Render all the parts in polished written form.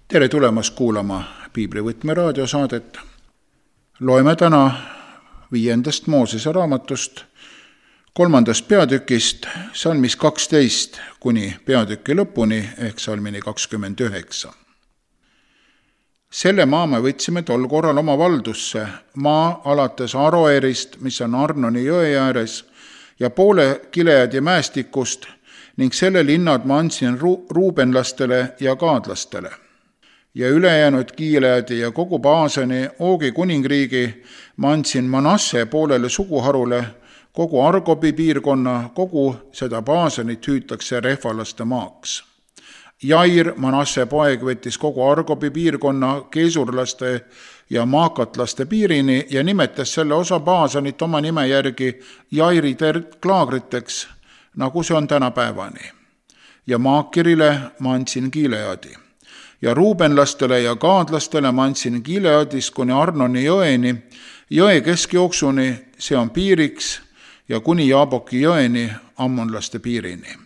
Tere tulemast kuulama Piiblivõtme raadiosaadet. Loeme täna 5. Moosese raamatust 3. peatükist, salmis 12 kuni peatüki lõpuni ehk salmini 29. Selle maa me võtsime tol korral oma valdusse, maa alates Aroerist, mis on Arnoni jõe ääres, ja poole Gileadi mäestikust ning selle linnad ma andsin ruubenlastele ja gaadlastele. Ja ülejäänud Gileadi ja kogu Baasani Oogi kuningriigi ma andsin Manasse poolele suguharule, kogu Argobi piirkonna, kogu seda Baasanit hüütakse rehvalaste maaks. Jair, Manasse poeg, võttis kogu Argobi piirkonna keesurlaste ja maakatlaste piirini ja nimetas selle osa Baasanit oma nime järgi Jairi klaagriteks, nagu see on tänapäevani. Ja Maakirile ma andsin Gileadi. Ja ruubenlastele ja gaadlastele ma andsin Gileadist kuni Arnoni jõeni, jõe keskjooksuni, see on piiriks, ja kuni Jaaboki jõeni, ammonlaste piirini.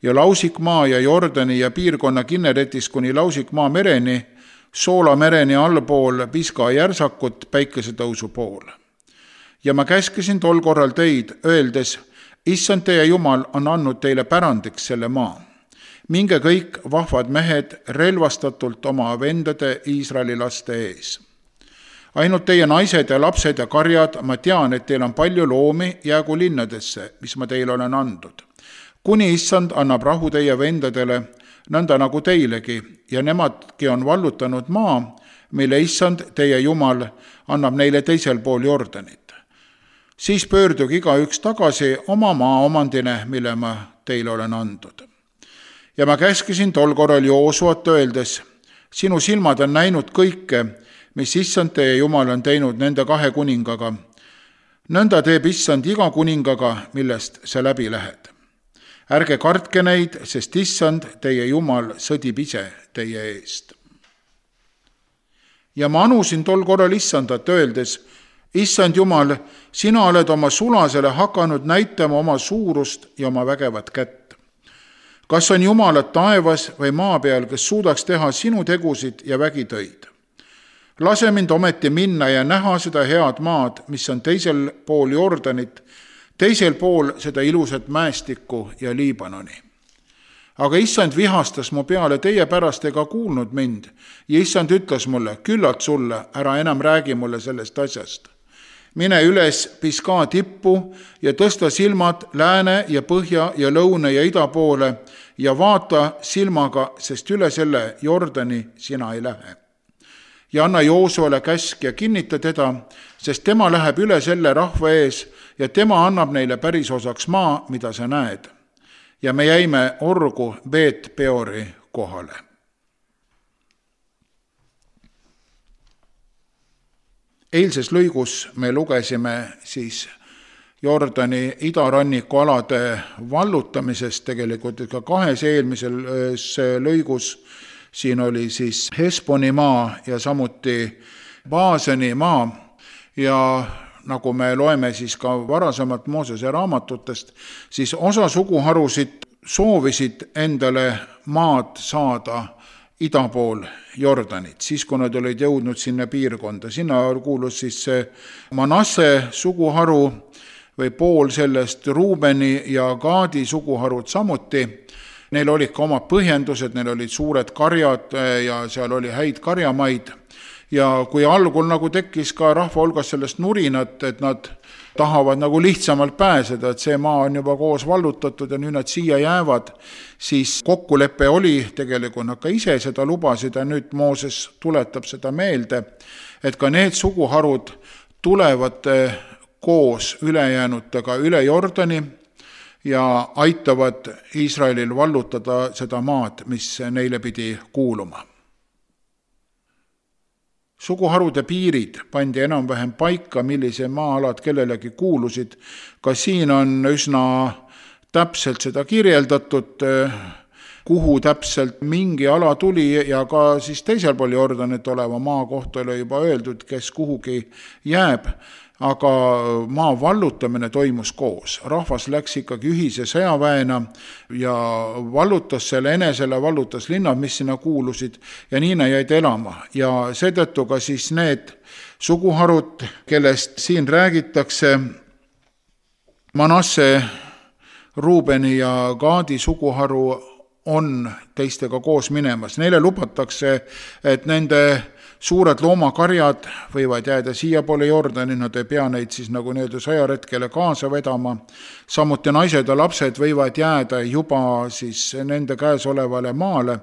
Ja Lausikmaa ja Jordani ja piirkonna Kinneretist kuni Lausikmaa mereni, Soola mereni allpool Piska järsakut päikesetõusu pool. Ja ma käskisin tol korral teid, öeldes, issand teie Jumal on andnud teile pärandiks selle maa. Minge kõik vahvad mehed relvastatult oma vendade Iisraeli laste ees. Ainult teie naised ja lapsed ja karjad, ma tean, et teil on palju loomi, jäägu linnadesse, mis ma teile olen andnud. Kuni issand annab rahu teie vendadele, nõnda nagu teilegi, ja nemadki on vallutanud maa, mille issand teie Jumal annab neile teisel pool Jordanit. Siis pöörduge igaüks tagasi oma maa omandine, mille ma teile olen andnud. Ja ma käskisin tol korral Joosuat öeldes, sinu silmad on näinud kõike, mis issand teie Jumal on teinud nende 2 kuningaga. Nõnda teeb issand iga kuningaga, millest sa läbi lähed. Ärge kartke neid, sest issand teie Jumal sõdib ise teie eest. Ja ma anusin tol korral issandat öeldes, issand Jumal, sina oled oma sulasele hakanud näitama oma suurust ja oma vägevat kätt. Kas on Jumalad taevas või maa peal, kes suudaks teha sinu tegusid ja vägitöid? Lase mind ometi minna ja näha seda head maad, mis on teisel pool Jordanit, teisel pool seda ilusat mäestikku ja Liibanoni. Aga issand vihastas mu peale teie pärast ega kuulnud mind ja issand ütles mulle, küllalt sulle, ära enam räägi mulle sellest asjast. Mine üles Piska tippu ja tõsta silmad lääne ja põhja ja lõuna ja ida poole ja vaata silmaga, sest üle selle Jordani sina ei lähe. Ja anna Joosuale käsk ja kinnita teda, sest tema läheb üle selle rahva ees ja tema annab neile pärisosaks maa, mida sa näed. Ja me jäime orgu Beet Peori kohale. Eilses lõigus me lugesime siis Jordani idaranniku alade vallutamisest, tegelikult ka 2 eelmises lõigus. Siin oli siis Hesboni maa ja samuti Baasani maa ja nagu me loeme siis ka varasemalt Moosese raamatutest, siis osa suguharusid soovisid endale maad saada ida pool Jordanit, siis kui nad olid jõudnud sinna piirkonda. Sinna kuulus siis see Manasse suguharu või pool sellest, Ruubeni ja Gaadi suguharud samuti. Neil olid ka omad põhjendused, neil olid suured karjad ja seal oli häid karjamaid. Ja kui algul nagu tekkis ka rahva hulgas sellest nurinat, et nad tahavad nagu lihtsamalt pääseda, et see maa on juba koos vallutatud ja nüüd nad siia jäävad, siis kokkulepe oli, tegelikult nad ka ise seda lubasid ja nüüd Mooses tuletab seda meelde, et ka need suguharud tulevad koos ülejäänutega üle Jordani ja aitavad Iisraelil vallutada seda maad, mis neile pidi kuuluma. Suguharude piirid pandi enam-vähem paika, millise maa-alad kellelegi kuulusid. Ka siin on üsna täpselt seda kirjeldatud, kuhu täpselt mingi ala tuli ja ka siis teisel pool Jordanit oleva maa kohta oli juba öeldud, kes kuhugi jääb. aga maa vallutamine toimus koos. Rahvas läks ikkagi ühise sõjaväena ja vallutas selle enesele, vallutas linnad, mis sinna kuulusid ja nii nad jäid elama. Ja seetõttu ka siis need suguharud, kellest siin räägitakse, Manasse, Ruubeni ja Gaadi suguharu on teistega koos minemas. Neile lubatakse, et nende suured loomakarjad võivad jääda siia poole Jordani, nad ei pea neid siis nagu nii-öelda sõjaretkele kaasa vedama. Samuti naised ja lapsed võivad jääda juba siis nende käes olevale maale,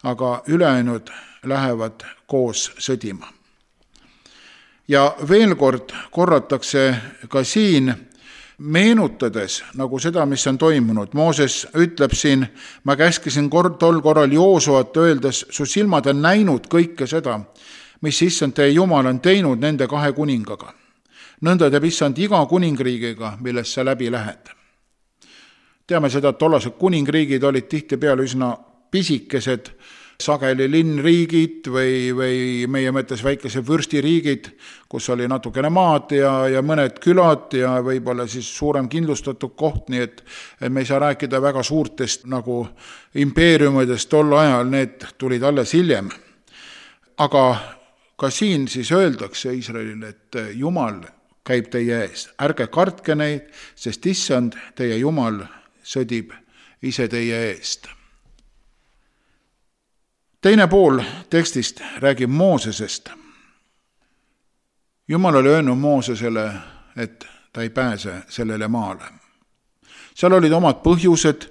aga ülejäänud lähevad koos sõdima. Ja veel kord korratakse ka siin, meenutades nagu seda, mis on toimunud. Mooses ütleb siin, ma käskisin tol korral Joosuat öeldes, su silmad on näinud kõike seda, mis issand teie Jumal on teinud nende 2 kuningaga. Nõnda teeb issand iga kuningriigiga, millest sa läbi lähed. Teame seda, et tollased kuningriigid olid tihtipeale üsna pisikesed, sageli linnriigid või meie mõttes väikesed vürstiriigid, kus oli natukene maad ja mõned külad ja võib-olla siis suurem kindlustatud koht, nii et me ei saa rääkida väga suurtest nagu impeeriumidest tol ajal, need tulid alles hiljem. Aga ka siin siis öeldakse Iisraelile, et Jumal käib teie ees. Ärge kartke neid, sest issand teie Jumal sõdib ise teie eest. Teine pool tekstist räägib Moosesest. Jumal oli öelnud Moosesele, et ta ei pääse sellele maale. Seal olid omad põhjused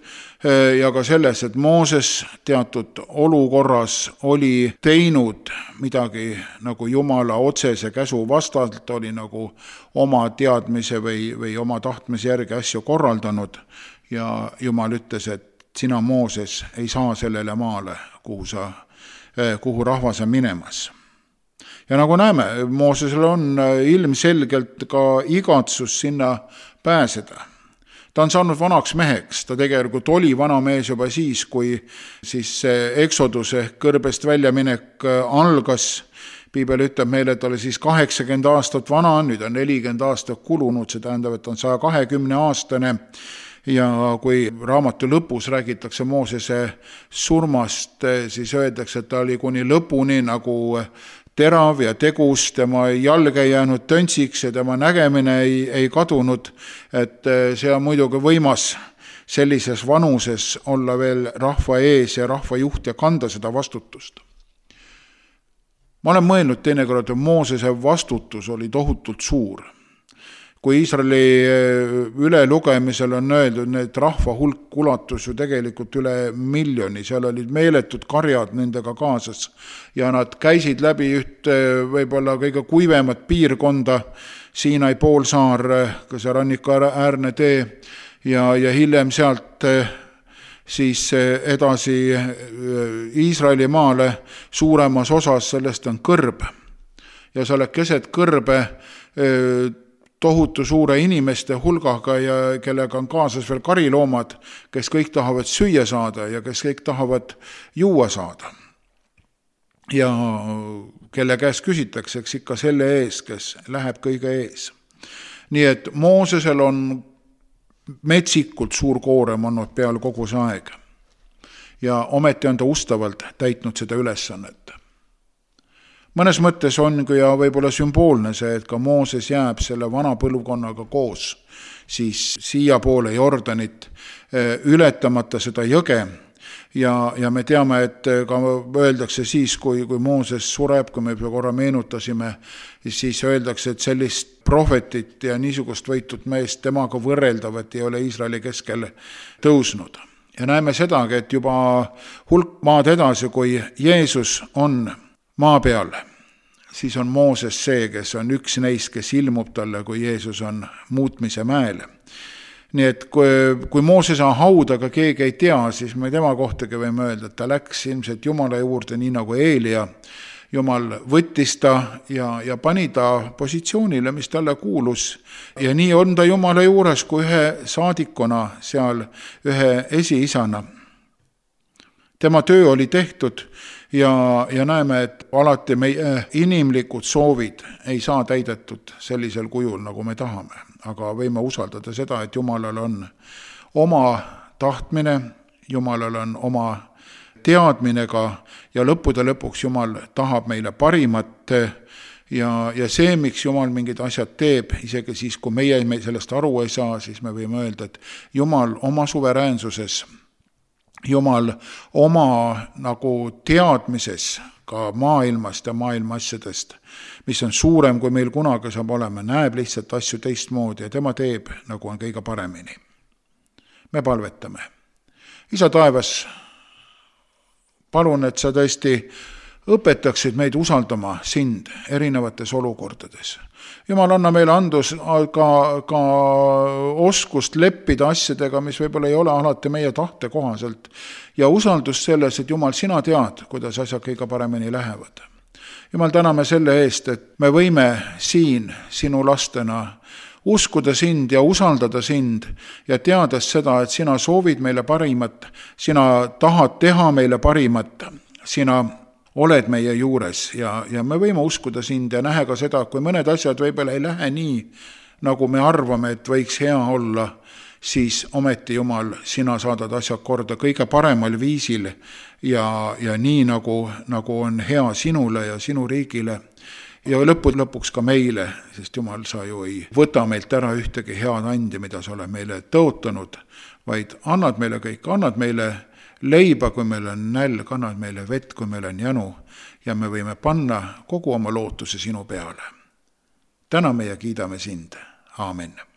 ja ka selles, et Mooses teatud olukorras oli teinud midagi nagu Jumala otsese käsu vastalt, oli nagu oma teadmise või oma tahtmise järgi asju korraldanud ja Jumal ütles, et sina, Mooses, ei saa sellele maale, kuhu rahvas on minemas. Ja nagu näeme, Moosesel on ilmselgelt ka igatsus sinna pääseda. Ta on saanud vanaks meheks, ta tegelikult oli vana mees juba siis, kui siis Exodus ehk kõrbest väljaminek algas. Piibel ütleb meile, et oli siis 80 aastat vana, nüüd on 40 aastat kulunud, see tähendab, et on 120 aastane. Ja kui raamatu lõpus räägitakse Moosese surmast, siis öeldakse, et ta oli kuni lõpuni nagu terav ja tegus, tema jalg ei jäänud töntsiks ja tema nägemine ei kadunud, et see on muidugi võimas sellises vanuses olla veel rahva ees ja rahva juht ja kanda seda vastutust. Ma olen mõelnud teinekord, et Moosese vastutus oli tohutult suur. Kui Iisraeli ülelugemisel on öeldud, need rahva hulk ulatus ju tegelikult üle 1 miljoni, seal olid meeletud karjad nendega kaasas ja nad käisid läbi üht võib-olla kõige kuivemat piirkonda, Siinai poolsaar, ka see rannikuäärne tee ja hiljem sealt siis edasi Iisraeli maale suuremas osas sellest on kõrb ja sa oled keset kõrbe tohutu suure inimeste hulgaga ja kellega on kaasas veel kariloomad, kes kõik tahavad süüa saada ja kes kõik tahavad juua saada. Ja kelle käest küsitakse, eks ikka selle ees, kes läheb kõige ees. Nii et Moosesel on metsikult suur koorem olnud peal kogu see aeg. Ja ometi on ta ustavalt täitnud seda ülesannet. Mõnes mõttes on ja võib-olla sümboolne see, et ka Mooses jääb selle vana põlvkonnaga koos, siis siia poole Jordanit ületamata seda jõge. Ja me teame, et ka öeldakse siis, kui Mooses sureb, kui me korra meenutasime, siis öeldakse, et sellist prohvetit ja niisugust võitud meest temaga võrreldavat ei ole Iisraeli keskel tõusnud. Ja näeme sedagi, et juba hulk maad edasi, kui Jeesus on maa peal, siis on Mooses see, kes on üks neist, kes ilmub talle, kui Jeesus on muutmise mäel. Nii et kui Mooses on haudaga keegi ei tea, siis me tema kohtagi võime öelda, et ta läks ilmselt Jumala juurde nii nagu Eelia. Jumal võttis ta ja pani ta positsioonile, mis talle kuulus. Ja nii on ta Jumala juures kui ühe saadikuna seal, ühe esiisana. Tema töö oli tehtud ja näeme, et alati meie inimlikud soovid ei saa täidetud sellisel kujul, nagu me tahame. Aga võime usaldada seda, et Jumalal on oma tahtmine, Jumalal on oma teadmine ka ja lõppude lõpuks Jumal tahab meile parimat ja see, miks Jumal mingid asjad teeb, isegi siis, kui meie sellest aru ei saa, siis me võime öelda, et Jumal oma suveräänsuses, Jumal oma nagu teadmises ka maailmast ja maailma asjadest, mis on suurem, kui meil kunagi saab olema, näeb lihtsalt asju teistmoodi ja tema teeb, nagu on kõige paremini. Me palvetame. Isa taevas, palun, et sa tõesti õpetaksid meid usaldama sind erinevates olukordades. Jumal, anna meile andus ka oskust leppida asjadega, mis võib-olla ei ole alati meie tahte kohaselt ja usaldust selles, et Jumal, sina tead, kuidas asjad kõige paremini lähevad. Jumal, täname selle eest, et me võime siin sinu lastena uskuda sind ja usaldada sind ja teades seda, et sina soovid meile parimat, sina tahad teha meile parimat, sina oled meie juures ja me võime uskuda sind ja nähe ka seda, kui mõned asjad võib-olla ei lähe nii, nagu me arvame, et võiks hea olla, siis ometi, Jumal, sina saadad asjad korda kõige paremal viisil ja nii, nagu on hea sinule ja sinu riigile ja lõpuks ka meile, sest Jumal, sa ju ei võta meilt ära ühtegi head andi, mida sa oled meile tõotanud, vaid annad meile kõik, annad meile leiba, kui meil on nälg, annad meile vett, kui meil on janu ja me võime panna kogu oma lootuse sinu peale. Täname ja kiidame sind. Aamen.